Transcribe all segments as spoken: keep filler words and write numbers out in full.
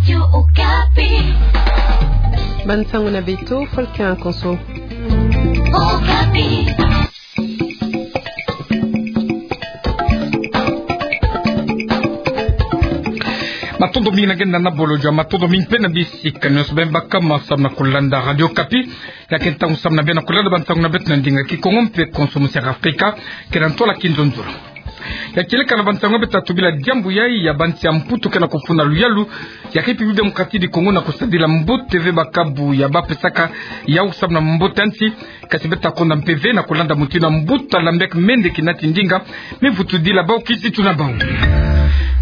Radio Okapi. Bansango na beto, Volker Konso. Okapi. Matondo mingi na genda na bolo jua, matondo mingi mpe na bisika nyonso beno baka ma samu na kulanda Radio Okapi. Ya ke ntangu samu na beno na kulanda bansango na beto na ndinga Kikongo mpe Konso mu Sierra Afrika, kena ntola kinzonzolo. Ya kieleka na bansango beto tatu bila diambu yai ya bansi ya Mputu ke na kufuna luyalu ya République Démocratique du Congo na kusadila mbote ve bakabu ya bapesaka yau samu na mbote ya nsi, kasi beto konda mpe ve na kulanda mutindu ya mbuta Lambert Mende, kina ti ndinga me vutudila bau kizitu na bau.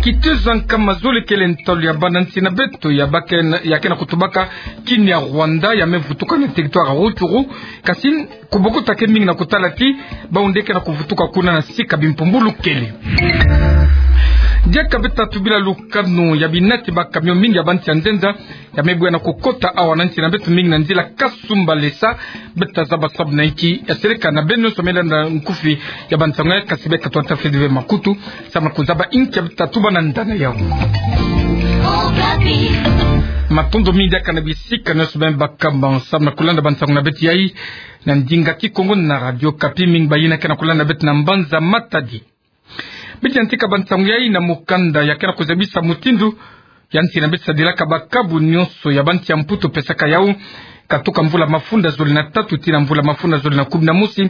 Kitezo ya nkama zole kele ntalu ya bana nsi na beto ya ba ke na, ya ke na kutubaka Kinyarwanda, ya me vutuka na territoire ya Rutshuru, kasi kubokota ke mingi na kutala ti bau nde ke na kuvutuka kuna na sika bimpumbulu kele. Diaka beto tatu bila lukanu ya binati ba camion mingi ya bansi ya nzenza ya me bwe na kukota awa na nsi na beto, mingi na nzila Kasumbalesa. Beto zaba sabu na inki? Ya seleka na beno nyonso me landa nkufi ya bansango ya, kasi beka twata fedi ve makutu samu na kuzaba inki ya beto tatu bana ndana yau. Matondo mingi diaka na bisika nyonso beno baka ma samu na kulanda bansango na beto yai na ndinga Kikongo na Radio Okapi, mingi bayina ke na kulanda beto na mbanza Matadi. Beto yantika bansango yai na mukanda ya ke na kuzabisa mutindu ya nsi na beto sadilaka bakabu nyonso ya bansi ya Mputu pesaka yau katuka mvula mafunda zole na tatu tii na mvula mafunda zole na kumi na mosi.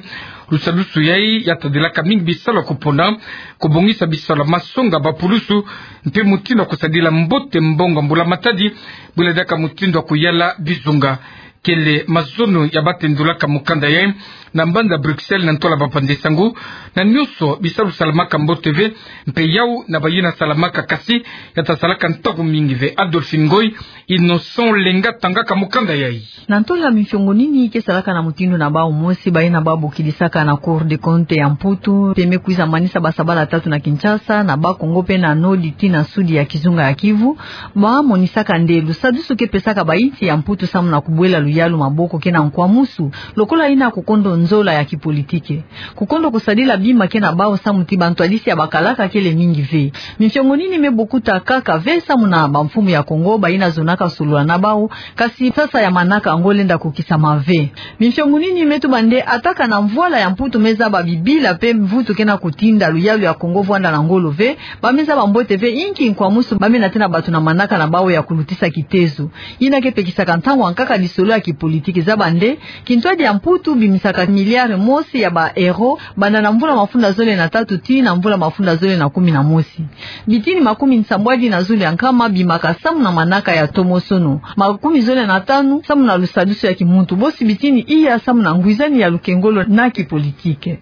Lusadusu yai ya tadilaka mingi bisalu ya kupona, kubongisa bisalu ya masonga, bapulusu, mpe mutindu ya kusadila mbote mbongo ya mbula matadi, bula diaka mutindu ya kuyala bizunga. Kele mazono ya batendulaka mukanda yai na mbanza Bruxelles na ntola bapanzi sango. Na nyonso bisalu salamaka mbote ve, mpe yau na bayina salamaka, kasi ya ta salaka ntangu mingi ve. Adolphine Ngoy, Innocent Lenga tangaka mukanda yai. Na ntola mifiongo nini ke salaka na mutindu na bau? Mosi, bayina babokidisaka na Cour des comptes ya Mputu, mpe me kwiza manisa basabala tatu na Kinshasa, na Bas-Congo mpe na Nord tii na Sud ya kizunga ya Kivu, bamonisaka nde lusadusu ke pesaka bainsi ya Mputu samu na kubwela luyalu maboko ke na nkwamusu, lokola yina kukondo nzola ya kipolitike. Kukondo kusadila bima ke na bau samu ti bantwadisi ya bakalaka kele mingi ve. Mifiongo nini me bokuta kaka ve samu na bamfumu ya Kongo, bayina zonaka solola na bau, kasi sasa ya manaka yango lenda kukisama ve. Mifiongo nini me tuba nde ataka na mvwala ya Mputu me zaba bibila mpe mvutu ke na kutinda luyalu ya Kongo vwanda na ngolo ve, ba me zaba mbote ve inki nkwamusu ba me natêna bato na manaka na bau ya kulutisa kitezo. Yina ke pekisaka ntangu ya nkaka lisolo ya kipolitike. Zaba nde kintwadi ya Mputu bimisaka milliard mosi ya ba euro banda na mvula mafunda zole na tatu tii na mvula mafunda zole na kumi na mosi. Bitini makumi nsambwadi na zole ya nkama bimaka samu na manaka ya ntomosono, makumi zole na tanu samu na lusadusu ya kimuntu, bosi bitini iya samu na ngwizani ya lukengolo na kipolitike.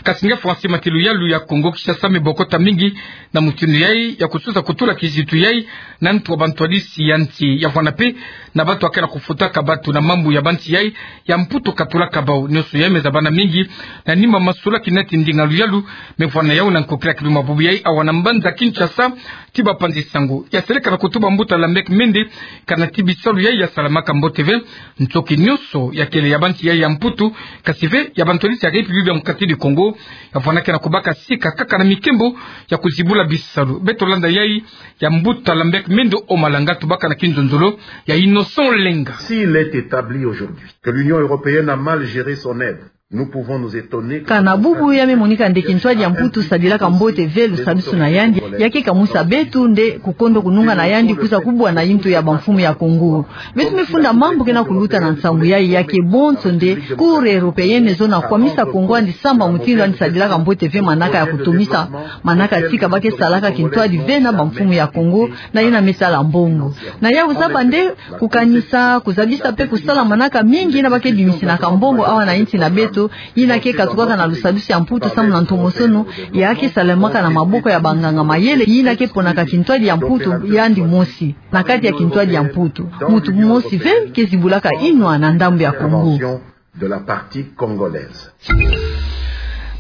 Kasi nge François Matilu, luyalu ya Kongo Kinshasa me bokota mingi na mutindu yai ya kusosa kutula kizitu yai na ntu ya bantwadisi ya nsi, ya vwanda mpe na bato ya ke na kufutaka bato na mambu ya bansi yai ya Mputu katulaka bau. Nyonso yai me zabana mingi na nima masula kina ti ndinga luyalu me vwanda yau na nkokila kiluma bubu yai awa na mbanza Kinshasa ti bapanzi sango. Ya seleka na kutuba mbuta Lambert Mende, kana ti bisalu yai ya salamaka mbote ve, ntoki nyonso ya kele ya bansi yai ya Mputu, kasi ve ya bantwadisi ya République Démocratique du Congo, ya vwanda ke na kubaka sika kaka na mikembo ya kuzibula bisalu. Beto landa yai ya mbuta Lambert Mende o malanga tubaka na kinzonzolo ya Innocent Lenga. S'il est établi aujourd'hui que l'Union européenne a mal géré son aide, nous pouvons nous étonner que... Kana bubu ya me monika nde kintwadi ya Mputu sadilaka mbote ve lusadusu na yandi, ya ke kamusa beto nde kukondo kununga na yandi kwiza kubwa na yintu ya bamfumu ya Kongo. Beto me funda mambu ke na kuluta na nsangu yai, ya ke bonso nde Cour européenne zo na kwamisa Kongo andi samba mutindu andi sadilaka mbote ve manaka ya kutomisa manaka tika ba ke salaka kintwadi ve na bamfumu ya Kongo na yina me sala mbongo. Na yau zaba nde kukanisa, kuzabisa mpe kusala manaka mingi yina ba ke bimisinaka mbongo awa na insi na beto, yina ke katukaka na lusadusu ya Mputu samu na ntomosono ya ke salamaka na maboko ya banganga mayele, yina ke ponaka kintwadi ya Mputu yandi mosi. Na kati ya kintwadi ya Mputu, mutu mosi ve ke zibulaka inwa na ndambu ya Kongo. De la partie congolaise.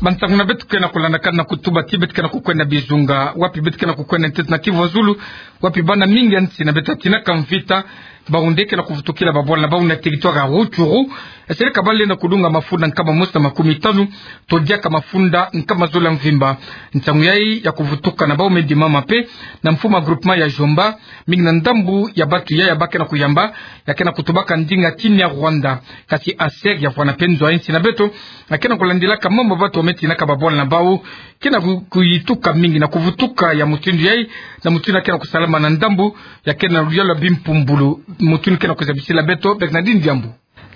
Bansangu na beto ke na kulandakana na kutuba ti beto ke na kukwenda bizunga, wapi beto ke na kukwenda ntete na Kivu ya Zulu, wapi bana mingi ya nsi na beto batinaka mvita, Bau nde ke na kuvutukila babwala na bau na territoire ya Rutshuru, yasereka bale na kudunga mafunda nkama mosi na makumi tanu, to diaka mafunda nkama zole ya mvimba. Nsangu yayi ya kuvutuka na bau me dimama mpe na mfumu ya groupement ya Djomba, mingi na ndambu ya batu yayi ba ke na kuyamba, ya ke na kutubaka ndinga Kinyarwanda. Kasi ASER ya vwanda mpe nzo ya nsi na beto, ya ke na kulandilaka mambu batu ba me tinaka babwala na bau, ke na ku-, kuyituka mingi na kuvutuka ya mutindu yayi, na mutindu ya ke na kusalama na ndambu ya ke na luyalu ya bimpumbulu, mutindu ke na kuzabisila beto Bernardine Diambu.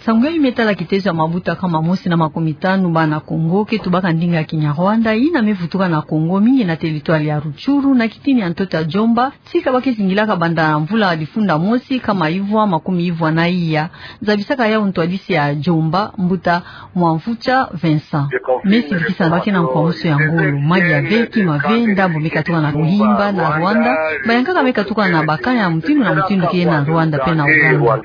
Nsangu yayi me tala kitezo ya mabuta nkama mosi na makumi tanu bana Kongo ke tubaka ndinga Kinyarwanda, yina me vutuka na Kongo, mingi na territoire ya Rutshuru, na kitini ya ntoto ya Djomba, tika ba ke zingilaka banda mvula difunda mosi nkama ivwa makumi ivwa na iya. Zabisaka yau ntwadisi ya Djomba, mbuta Mwamvutsa Vincent. Me silikisa ba ke na nkwamusu ya ngolo, mali ya ve, kima ve, ndambu me katuka na Buhimba na Rwanda, bayankaka me katuka na bakaya mutindu na mutindu ke na Rwanda mpe na Uganda.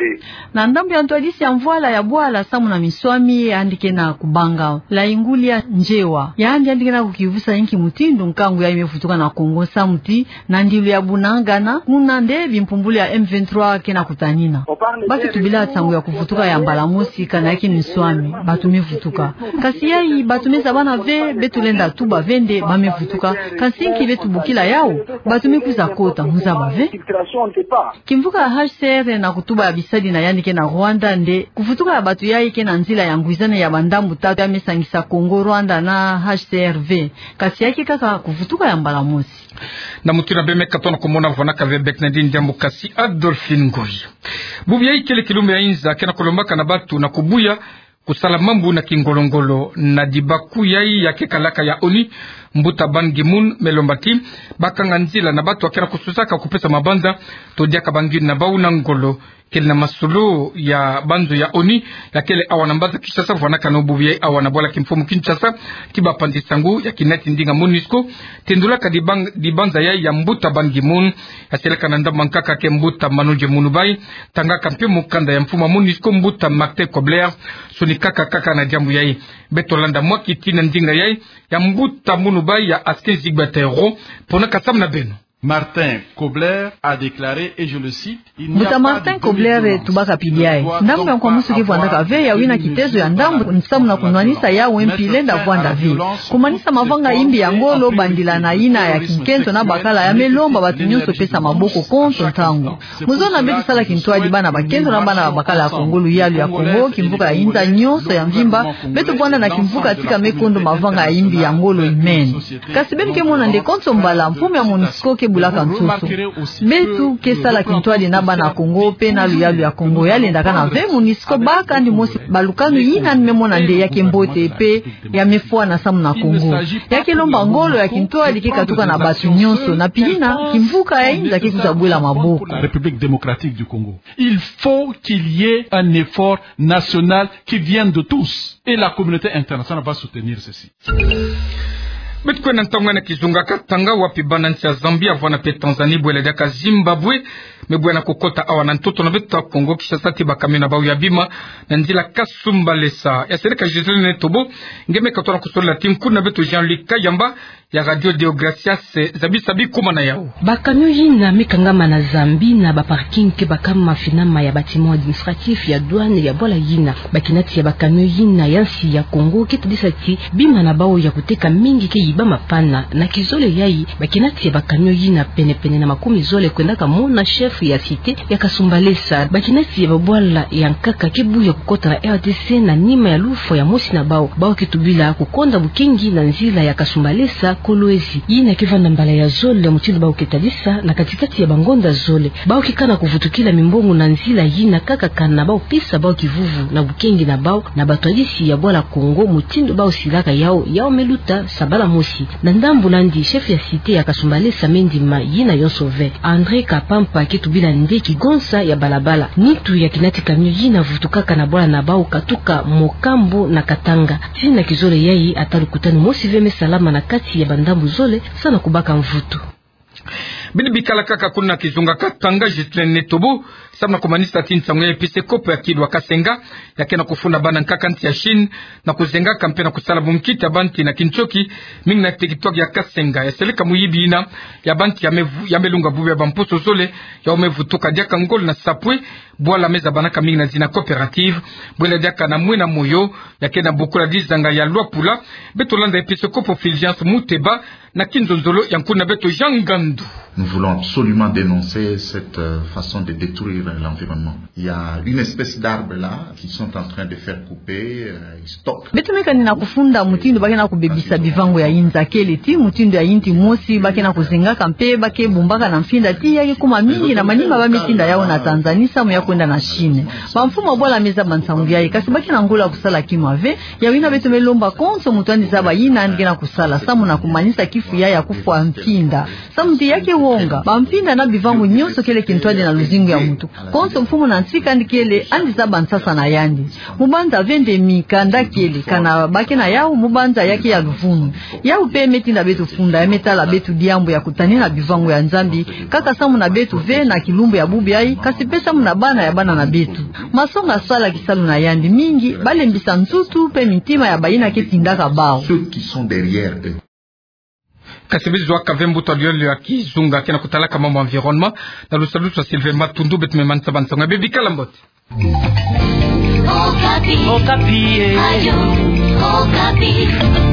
Na ndambu ya ntwadisi ya mvwala ya bwala samu na minswami, yandi ke na kubanga Laingulia Njewa. Yandi, yandi ke na kukivusa inki mutindu nkangu yayi me vutuka na Kongo, samu ti na ndilu ya bunangana, kuna nde bimpumbulu ya M vingt-trois ke na kutanina. Ba ke tubila nsangu ya kuvutuka ya mbala mosi, kana ya ke minswami batu me vutuka. Kasi yayi batu me zabana ve, beto lenda tuba ve nde ba me vutuka. Kasi nki beto bokila yau, batu me kwiza kota, mu zaba ve. Kimvuka ya H C R na kutuba ya bisadi na yandi ke na Rwanda nde kuvutuka ya batu yayi ke na nzila ya ngwizane ya bandambu tatu ya me sangisa Kongo, Rwanda na H C R V. Kasi ya ke kaka kuvutuka ya mbala mosi. Na mutindu yayi me katuka na kumona vwanaka ve Bernardine Diambu kasi Adolphine Ngoyi. Bubu yayi kele kilumbu ya inza ke na kulombaka na batu na kubuya kusala mambu na kingolo-ngolo. Na dibaku yayi ya kekalaka ya ONU, mbuta Ban Ki-moon me lomba ti ba kanga nzila na batu ba ke na kususaka kupesa mabanza, to diaka bangini na bau na ngolo. Kele na masolo ya banzo ya ONU, ya kele awa na mbanza Kinshasa, vwanaka na bubu yayi awa na bwala kimfumu Kinshasa, ti bapanzi nsangu ya kinati ndinga MONUSCO, tendulaka dibang-, dibanza yayi ya mbuta Ban Ki-moon, yasereka na ndambu ya nkaka ke mbuta Manodje Mounoubay, tangaka mpe mukanda ya mfumu ya MONUSCO mbuta Martin Kobler, sonikaka kaka na diambu yayi. Beto landa mwa kiti na ndinga yayi ya mbuta Mounoubay ya Askin Zigbert Ayoro, ponaka samu na beno. Martin Kobler a déclaré, et je le cite, il n'y a pas de demi-mesure. Mbuta Martin Kobler tubaka pili yayi: ndambu ya nkwamusu ke vwandaka ve ya wina kitezo ya ndambu, nsamu na kunwanisa yawu mpi lenda vwanda ve. Kumanisa mavanga ya imbi ya ngolo, bandila na yina ya kinkento na bakala, ya me lomba batu nyonso pesa maboko konso ntangu. Mu zona beto sala kintwadi bana bakento na bana bakala ya Kongo, luyalu ya Kongo, kimvuka ya inza nyonso ya mvimba, beto vwanda na kimvuka tika me kondo mavanga ya imbi ya ngolo imene. Kasi beno ke mona nde konso mbala mfumu ya MONUSCO ke bulaka nsusu. Beto ke sala kintwadi na bana Kongo mpe na luyalu ya Kongo. Ya lendaka na ve MONUSCO baka ndi mosi balukanu yina ni me mona nde ya ke mbote mpe ya me fwana samu na Kongo. Ya ke lomba ngolo ya kintwadi ke katuka na batu nyonso, na pili yina kimvuka ya inza ke kwiza bwela maboko. République démocratique du Congo. Il faut qu'il y ait un effort national qui vienne de tous. Et la communauté internationale va soutenir ceci. Beto kwenda ntangu na kizunga Katanga, wapi bana nsi ya Zambie, vwanda mpe Tanzanie, bwela diaka Zimbabwe, me bwena kukota awa na ntoto na beto Kongo Kinshasa ti ba camion na bau ya bima na nzila Kasumbalesa. Yasereka Gisèle Netobo, nge me katuka na kusolola ti nkundu na beto Jean-Luc Kayamba, ya Radio Deo Gracias, eh, zabisa bikumana yau. Ba camion yina me kangama na Zambie na ba parking ke bakama finama ya bâtiment administratif ya douane ya bwala yina. Bakinati ya ba camion yina ya nsi ya Kongo ke tadisa ti bima na bau ya kuteka mingi ke yibama pana. Na kizole yayi, bakinati ya ba camion yina pene-pene na makumi zole kwendaka mona chef ya cité ya Kasumbalesa. Bakinati ya babwala ya nkaka ke buya kukota na R D C na nima ya lufwa ya mosi na bau. Bau ke tubila kukonda bukengi na nzila ya Kasumbalesa Kolwezi. Yina ke vanda mbala ya zole mutindu bau ke tadisa na kati-kati ya bangonda zole. Bau ke kana kuvutukila mimbongo na nzila yina kaka kana bau pesa bau kivuvu na bukengi na bau na batwadisi ya bwala Kongo mutindu bau silaka yau, yau me luta sabala mosi. Na ndambu landi, chef ya cité ya Kasumbalesa me ndima yina yonso ve. André Kapampa ke tubila nde kigonsa ya balabala. Nitu ya kinati camion yina vutukaka na bwala na bau katuka Mokambo na Katanga. Tii na kizole yayi, ata lukutanu mosi ve me salama na kati ya bandambu zole, samu na kubaka mvutu. Bina bikala kaka kuna kizunga Katanga, Ghislain Netobo, samu na kumanisa ti nsangu ya episkopo ya Kilu wa Kasenga, ya ke na kufunda bana nkaka nsi ya Chine, na kuzengaka mpe na kusala bunkita banti na kintoki, mingi na teritware ya Kasenga, ya seleka muyibi yina ya banti ya me vu-, ya me lunga bubu ya bamposo zole, ya me vutuka diaka ngolo na sapwe, bwala me zabanaka mingi na zina coopérative, bwela diaka na mwena moyo, ya ke na bokula dizanga ya Luapula. Beto landa episkopo Fulgence Muteba, na kinzonzolo ya nkuna beto Jean Ngandu. Nous voulons absolument dénoncer cette, euh, façon de détruire l'environnement. Il y a une espèce d'arbre là qui sont en train de faire couper, euh, ils stockent. Beto me kani na kufunda mutindu ba ke na kubebisa bivangu ya inza, kele ti mutindu ya inti mosi ba ke na kuzengaka mpe ba ke bumbaka na mfinda ti ya ke kuma mingi na manima ba me tinda yau na Tanzanie samu ya kwenda na Chine. Bamfumu ya bwala me zaba nsangu yayi, kasi ba ke na ngolo ya kusala kima ve. Yawu yina beto me lomba konso muntu andi zaba yina andi ke na kusala samu na kumanisa kifu yayi ya kufwa mfinda. Samu ti ya ke wonga bamfinda na bivangu nyonso kele kintwadi na luzingu ya muntu. Konso mfumu na nsi kandi kele andi zaba nsasa na yandi. Mubanza vende mikanda kele, kana ba ke na yau, mubanza ya ke ya luvunu. Yau mpe me tinda beto funda, ya me tala beto diambu ya kutanina bivangu ya Nzambi, kaka samu na beto ve na kilumbu ya bubu yayi, kasi mpe samu na bana ya bana na beto. Masonga sala kisalu na yandi mingi, ba lembisa nsutu mpe mintima ya bayina ke tindaka bau. Ceux qui sont derrière eux. Kasi bizu aka ve mbuta yole ya kizunga ke na kutalaka mambu environnement, na lusalusu ya Sylvain Matundu, beto me manisa ba nsangu ya bê. Bikala mbote. Okapi. Okapi, eh. Ayo, Okapi.